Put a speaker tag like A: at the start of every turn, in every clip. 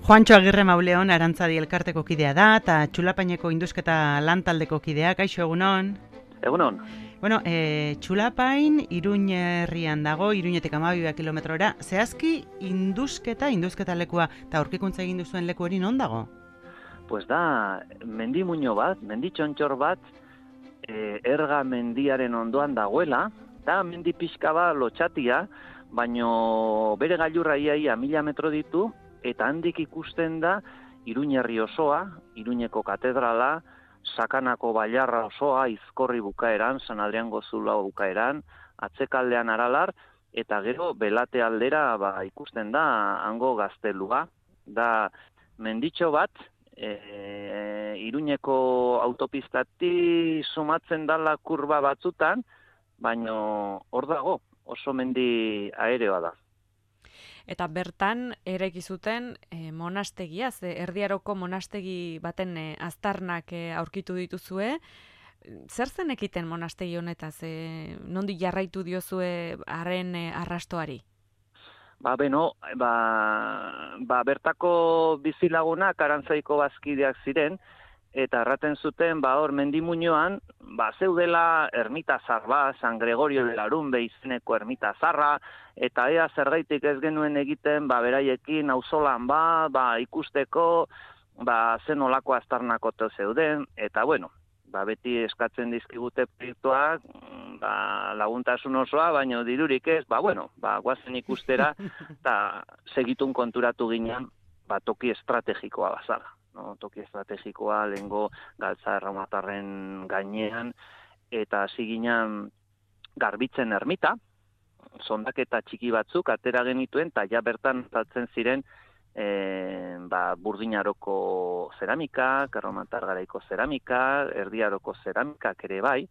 A: Juantxo Agirre Mauleon Arantzadi elkarteko kidea da, eta Txulapaineko induzketa lantaldeko kidea, kaixo egunon?
B: Egunon.
A: Bueno, Txulapain Iruñ herrian dago, Iruñetik 12 kilometrora, zehazki induzketa lekua, eta aurkikuntza egin duzuen leku hori non dago?
B: Pues da, mendi muino bat, mendi txontxor bat, erga mendiaren ondoan dagoela, da mendi pixka bat lotxatia, baino bere gailurra iaia 1000 metro ditu, eta handik ikusten da Iruñ herri osoa, Iruñeko katedrala, Sakanako bailarra osoa, Izkorri bukaeran, San Adriango Zulao bukaeran, atzekaldean Aralar, eta gero Belate aldera ikusten da hango gaztelua. Da menditxo bat, Iruñeko autopistati sumatzen dala kurba batzutan, baino hor dago, oso mendi aereoa da.
C: Eta bertan eraiki zuten monastegia, Erdiaroko monastegi baten aztarnak aurkitu dituzue. Zer zen ekiten monastegi honetaz? Nondik jarraitu diozue haren arrastoari?
B: Bertako bizilagunak Arantzaiko bazkideak ziren, eta erraten zuten, hor mendimuñoan, zeudela ermita zarba, San Gregorio de Larumbe izeneko ermita zarra, eta ea zergaitik ez genuen egiten, beraiekin auzolan ikusteko, zen olako aztarnakote zeuden, eta beti eskatzen dizkigute proiektuak, laguntasun osoa, baino dirurik ez, guazen ikustera, eta segitun konturatu ginen, toki estrategikoa bazala. No, toki estrategikoa lehengo Galtza Erromatarren gainean, eta hasi ginen Garbitzen ermita, sondaketa txiki batzuk atera genituen, eta ja bertan saltzen ziren Burdinaroko zeramikak, Erromatar garaiko zeramika, Erdiaroko zeramikak ere bai,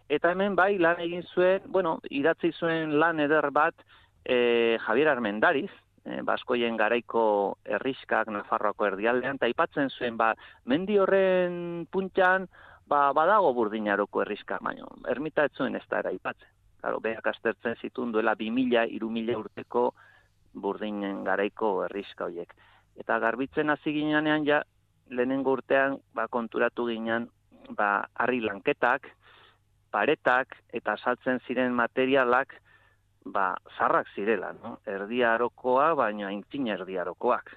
B: eta hemen lan egin zuen, idatzi zuen lan eder bat Javier Armendariz, Baskoien garaiko herriskak Nafarroako erdialdean, eta aipatzen zuen, mendi horren puntxan, badago Burdinaroko herriska, baina ermita ez zuen ez da aipatzen. Claro, beak aztertzen zituen duela 2000-3000 urteko Burdinen garaiko herriska horiek. Eta Garbitzen hasi ginean lehenengo urtean konturatu ginen harri lanketak, paretak eta saltzen ziren materialak zarrak zirela, no? Erdiarokoa, baina aintzina erdiarokoak.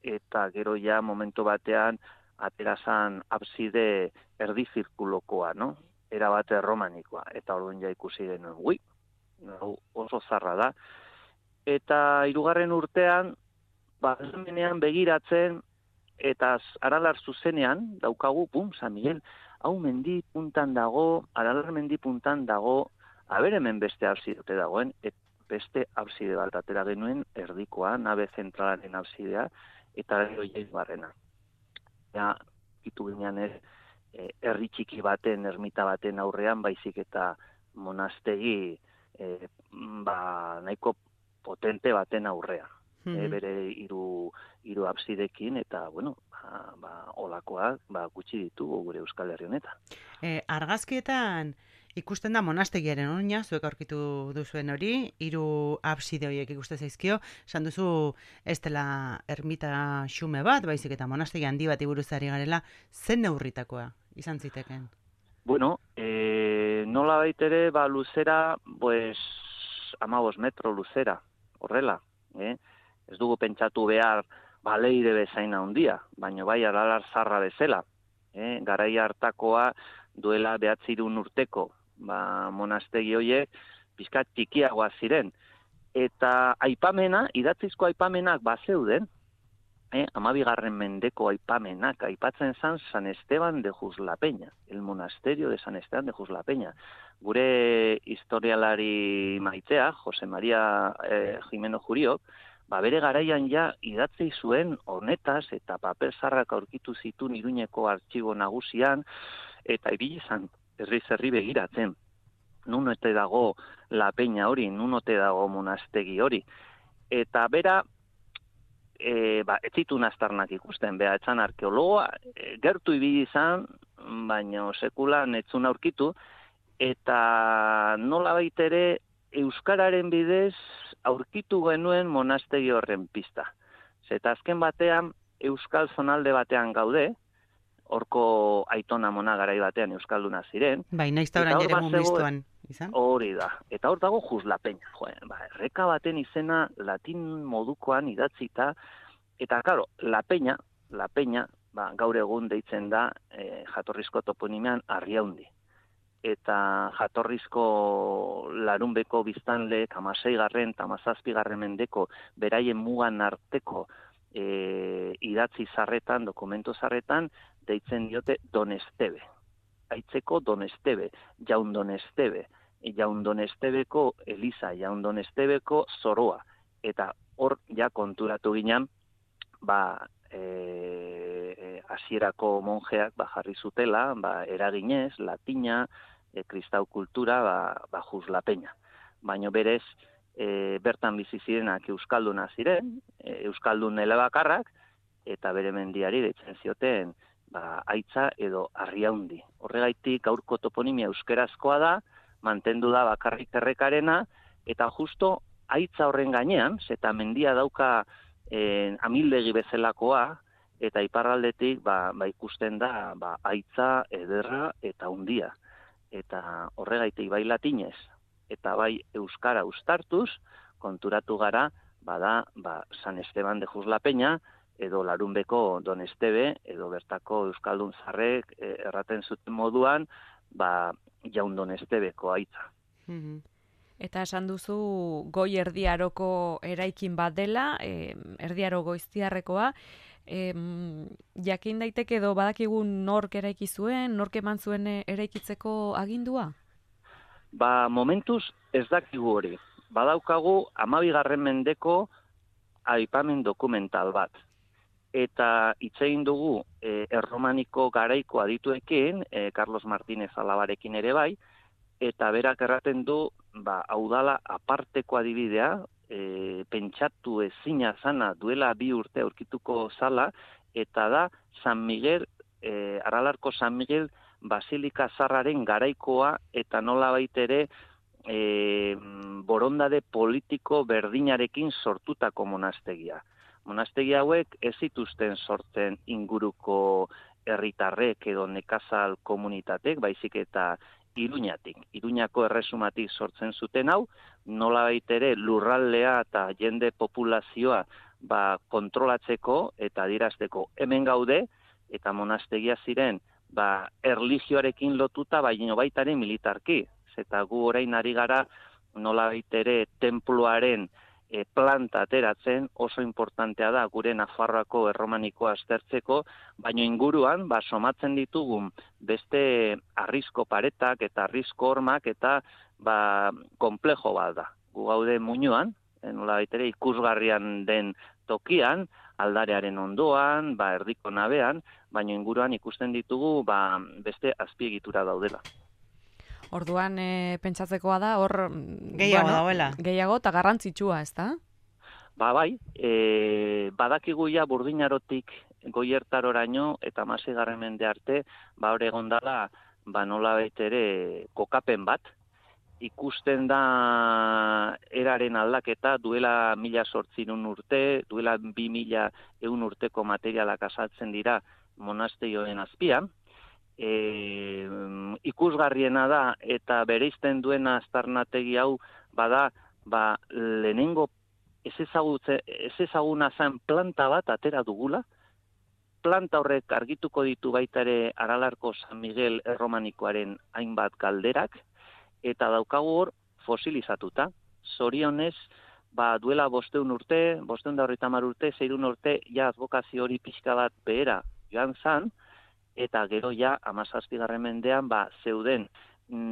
B: Eta gero momentu batean aterazan abside erdizirkulokoa, no? Erabate romanikoa. Eta orduan ikusi genuen, oso zarra da. Eta 3. urtean, hemenean begiratzen, eta Aralar zuzenean, daukagu, San Miguel, hau mendi puntan dago, Aralar mendi puntan dago, hemen beste absidote dagoen, beste abside bat atera genuen erdikoa, nabe zentralaren absidea, eta gero barrena. Ja, itu ginean herri txiki baten, ermita baten aurrean, baizik eta monastegi nahiko potente baten aurrean. Bere hiru absidekin, eta, olakoak gutxi ditugu gure Euskal Herri honetan.
A: Argazkietan ikusten da monastegiaren oina, zuek aurkitu duzuen hori, 3 abside horiek ikusten zaizkio, esan duzu ez dela ermita xume bat, baizik eta monastegi handi bat buruzari garela, zen neurritakoa izan ziteken?
B: Nola baitere, luzera, 15 metro luzera, horrela, ez dugu pentsatu behar leire bezaina handia, baina Aralar zarra bezala, garai hartakoa duela 900 urteko, monastegi horiek pixkat txikiagoa ziren. Eta aipamena, idatzizko aipamenak bazeuden, 12. mendeko aipamenak, aipatzen zan San Esteban de Juslapeña, el monasterio de San Esteban de Juslapeña. Gure historialari maitea, Jose Maria Jimeno Juriok, bere garaian idatzi zuen honetaz eta paper zarrak aurkitu zituen Iruñeko artxibo nagusian, eta ibili izan herri begiratzen. Nun ote dago La Peña hori, nun ote dago monastegi hori. Eta bera, ez zituen aztarnak ikusten, etzan arkeologoa, gertu ibili izan, baina sekulan etzun aurkitu, eta nola baitere euskararen bidez aurkitu genuen monastegi horren pista. Eta azken batean, euskal zonalde batean gaude, horko aitona mona garai batean euskalduna ziren.
A: Bai, naizta orain ere mumistuan izan.
B: Hori da. Eta hor dago Juslapeña. Erreka baten izena latin modukoan idatzita, eta claro, La Peña, gaur egun deitzen da jatorrizko toponimean Arriaundi. Eta jatorrizko Larunbeko biztanle, 16. eta 17. mendeko beraien mugan arteko idatzi zarretan, dokumentu zarretan, deitzen diote Don Esteve. Aitzeko Don Esteve, Jaun Don Esteve, Jaun Don Esteveko Eliza, Jaun Don Esteveko Zoroa. Eta hor ja konturatu ginen, hasierako monjeak jarri zutela, eraginez, latina, kristau kultura, Juslapeña. Baina berez, bertan bizi zirenak euskalduna ziren, euskaldun elebakarrak, eta bere mendiari deitzen zioten Aitza edo Arriaundi. Horregaitik gaurko toponimia euskerazkoa da, mantendu da bakarrik errekarena, eta justo Aitza horren gainean, eta mendia dauka amildegi bezalakoa, eta iparraldetik ikusten da Aitza, ederra eta hundia. Eta horregaitik bai latinez, eta bai euskara uztartuz, konturatu gara, San Esteban de Juslapeña, edo Larunbeko Don Esteve, edo bertako euskaldun zarrek erraten zuten moduan, Jaun Don Esteveko Aitza.
C: Eta esan duzu Goi Erdi Aroko eraikin bat dela, Erdi Aro Goiztiarrekoa, jakin daiteke edo badakigu nork eraiki zuen, nork eman zuen eraikitzeko agindua?
B: Momentuz ez dakigu hori. Badaukagu 12. mendeko aipamen dokumental bat. Eta itzein dugu erromaniko garaiko adituekin, Carlos Martínez Alabarekin ere bai, eta berak erraten du, hau dala aparteko adibidea, pentsatu ezina zana duela 2 urte aurkituko zala, eta da San Miguel, Aralarko San Miguel Basilika Zarraren garaikoa, eta nolabait ere borondade politiko berdinarekin sortutako monastegia. Monastegi hauek ez zituzten sortzen inguruko herritarrek edo nekazal komunitatek, baizik eta Iruñatik. Iruñako erresumatik sortzen zuten hau, nolabait ere lurraldea eta jende populazioa kontrolatzeko eta adierazteko hemen gaude, eta monastegia ziren erlijioarekin lotuta, baina baitaren militarki. Eta gu orain ari gara nolabait ere tenpluaren planta ateratzen, oso importantea da gure Nafarroako erromanikoa aztertzeko, baina inguruan somatzen ditugun beste arrizko paretak eta arrizko hormak eta konplejo bat da. Gu gaude Muñoan, nolabait ere ikusgarrian den tokian, aldarearen ondoan, erdiko nabean, baina inguruan ikusten ditugu beste azpiegitura daudela.
C: Orduan, pentsatzekoa da, hor...
A: Gehiago dauela.
C: Gehiago eta garrantzitsua, ez da?
B: Bai, badakigu ja Burdinarotik Goiertaroraino eta 16. mende arte, hor egon dela, nolabait ere kokapen bat. Ikusten da eraren aldaketa, duela 1800 urte, duela 2100 urteko materialak azaltzen dira monasterioen azpian. Ikusgarriena da eta bereizten duena aztarnategi hau lehenengo ez ezaguna zen planta bat atera dugula. Planta horrek argituko ditu baita ere Aralarko San Miguel erromanikoaren hainbat galderak, eta daukagu hor fosilizatuta. Zorionez, duela 500 urte, 530 urte, 600 urte, ja advokazio hori pixka bat behera joan zan, eta gero ja 17. mendean zeuden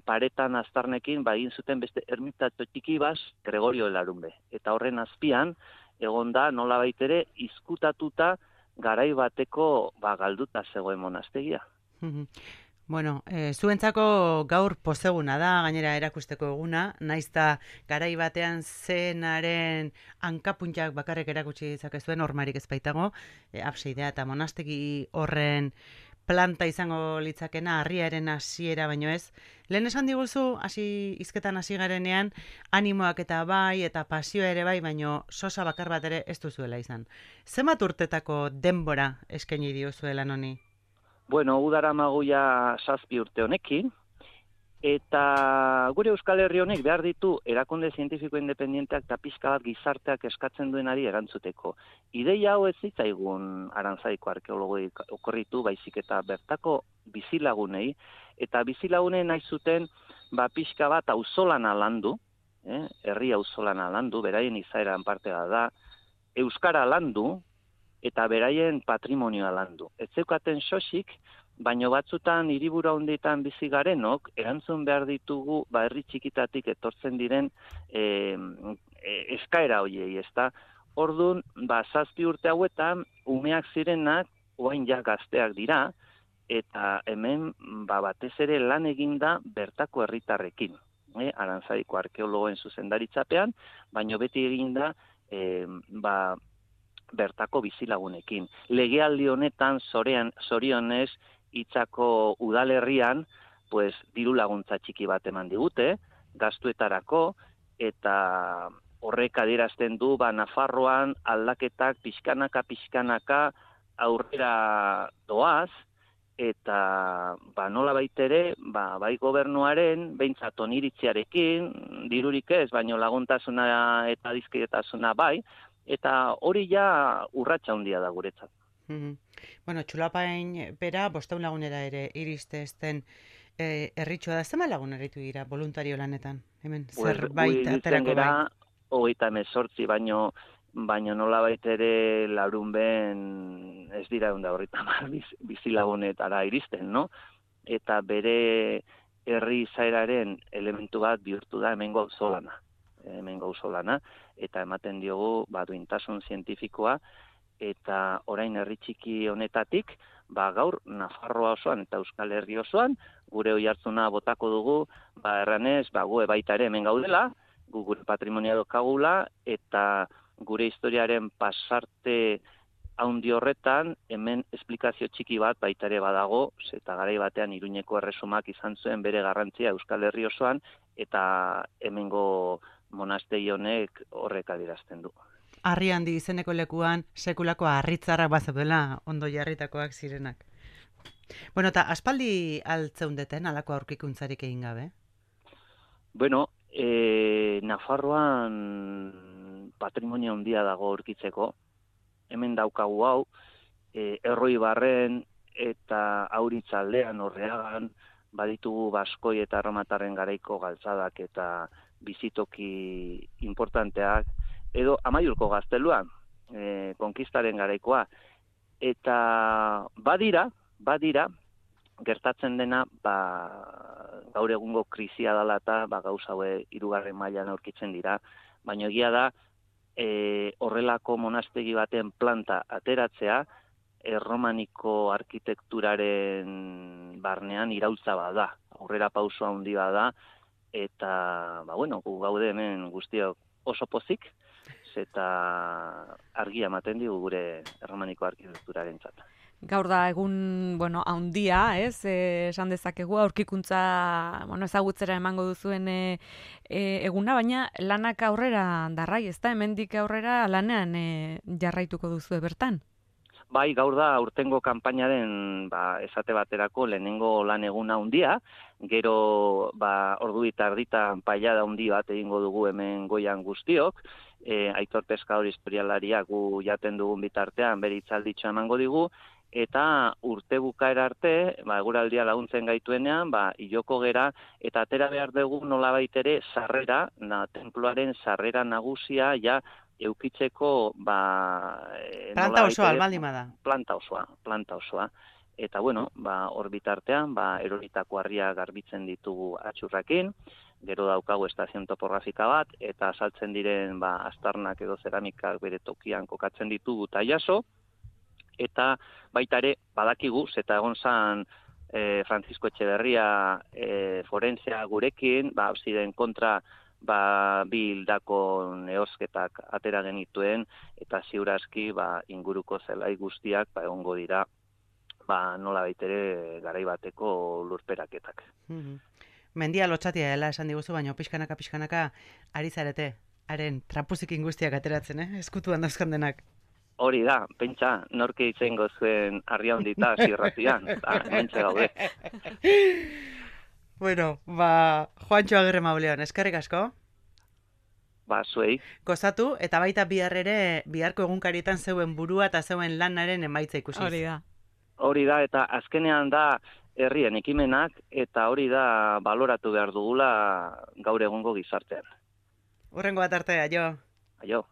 B: paretan aztarnekin egin zuten beste ermitatxo txiki Gregorio Larunbe. Eta horren azpian egon da nolabait ere izkutatuta garai bateko galduta zegoen monastegia.
A: Bueno, zuentzako gaur pozeguna da, gainera erakusteko eguna, naizta garai batean zenaren hankapuntak bakarrik erakutsi dezakezuen, hormarik ez baitago, abseidea eta monastegi horren planta izango litzakena, harriaren hasiera baino ez. Lehen esan diguzu, hizketan hasi garenean, animoak eta bai, eta pasioa ere bai, baino sosa bakar bat ere ez duzuela izan. Zenbat urtetako denbora eskaini diozuela noni?
B: Bueno, udara magoia 7 urte honekin, eta gure Euskal Herri honek behar ditu erakunde zientifiko independenteak eta pixka bat gizarteak eskatzen duenari erantzuteko. Ideia hau ez zitzaigun Aranzaiko arkeologoi okorritu, baizik eta bertako bizilagunei, eta bizilagunei nahi zuten pixka bat auzolana landu, herri auzolana landu, beraien izaeran partea da, euskara landu, eta beraien patrimonioa landu. Ez zeukaten sosik, baino batzutan hiriburu handietan bizi garenok erantzun behar ditugu herri txikitatik etortzen diren eskaera hoiei, ezta? Ordun, 7 urte hauetan umeak zirenak orain ja gazteak dira eta hemen batez ere lan eginda bertako herritarrekin, Aranzaiko arkeologoen zuzendaritzapean, baino beti eginda bertako bizilagunekin. Legealdi honetan zorionez Itzako udalerrian, diru laguntza txiki bat eman digute, gastuetarako, eta horrek adierazten du, Nafarroan aldaketak pixkanaka aurrera doaz, eta nola baitere, bai gobernuaren, behintzat oniritziarekin, dirurik ez, baino laguntasuna eta dizkietasuna bai, eta hori ja urratsa handia da guretzat.
A: Bueno, Txulapain bera 500 lagunera ere iriste ezten herritxoa da, zema lagun eritu dira voluntario lanetan? Hemen zerbait aterako bai?
B: 38, baino nola ere larun ben ez dira 130 bizilagunetara iristen, no? Eta bere herri izaeraren elementu bat bihurtu da hemengo auzolana, eta ematen diogu duintasun zientifikoa, eta orain herri txiki honetatik, gaur Nafarroa osoan eta Euskal Herri osoan, gure oihartzuna botako dugu, erranez, gu baita ere hemen gaudela, gure patrimonioa daukagula, eta gure historiaren pasarte haundi horretan, hemen esplikazio txiki bat baita ere badago, eta garai batean Iruñeko erresumak izan zuen bere garrantzia Euskal Herri osoan, eta hemengo monastegi honek horrek adierazten du.
A: Harri handi izeneko lekuan sekulako harritzarrak bazeudela ondo jarritakoak zirenak. Bueno, eta aspaldi altzeundeten alako aurkikuntzarik egin gabe?
B: Bueno, Nafarroan patrimonio handia dago aurkitzeko. Hemen daukagu hau, Erroibarren eta Auritzaldean Orreagan baditugu Baskoi eta Erromatarren garaiko galtzadak eta bizitoki importanteak, edo Amaiurko gazteluan, konkistaren garaikoa. Eta badira, gertatzen dena, gaur egungo krisia dela eta gauza haue 3. mailan aurkitzen dira, baina egia da, horrelako monastegi baten planta ateratzea, erromaniko arkitekturaren barnean iraultza bada, aurrera pauso handi bada, eta, gu gaude hemen guztiok oso pozik, eta argia ematen digu gure erromaniko arkitekturaren zata.
C: Gaur da egun, handia, esan dezakegu, aurkikuntza, ezagutzera emango duzuen eguna, baina lanak aurrera darrai, ez da, hemendik aurrera lanean jarraituko duzu bertan?
B: Bai, gaur da urtengo kanpainaren esate baterako lehenengo lan eguna handia, gero ordu eta erditan pailada handi bat egingo dugu hemen goian guztiok, Aitor Peskador historialaria gu jaten dugun bitartean bere hitzalditxoa emango digu, eta urte bukaera arte, eguraldia laguntzen gaituenean, iloko gera, eta atera behar dugu nolabait ere sarrera, tenpluaren sarrera nagusia, ja, eukitzeko,
A: planta osoa, albaldin bada.
B: Planta osoa. Eta, hor bitartean, eroritako harria garbitzen ditugu atxurrakin, gero daukagu estazion topografika bat, eta saltzen diren astarnak edo zeramikak bere tokian kokatzen ditugu eta jaso, eta baita ere badakigu, eta egon zan Francisco Etxeberria forensea gurekin, ziren kontra bi hildako neozketak atera genituen, eta ziurazki inguruko zelai guztiak egongo dira nola baitere garai bateko lurperaketak.
A: Mendia lotxatia dela esan diguzu, baina pixkanaka ari zarete, haren trapuzikin guztiak ateratzen, eskutuan dauzkan denak.
B: Hori da, pentsa, norke izango zuen harria hondita zirratian, mentxe gaude.
A: Bueno, Juantxo Agirre Mauleon, eskerrik asko.
B: Zuei.
A: Gozatu, eta baita biharko egunkarietan zeuen burua eta zeuen lanaren emaitza ikusiz.
C: Hori da,
B: eta azkenean da herrien ekimenak, eta hori da baloratu behar dugula gaur egungo gizartean.
A: Hurrengo bat arte, aio.
B: Aio.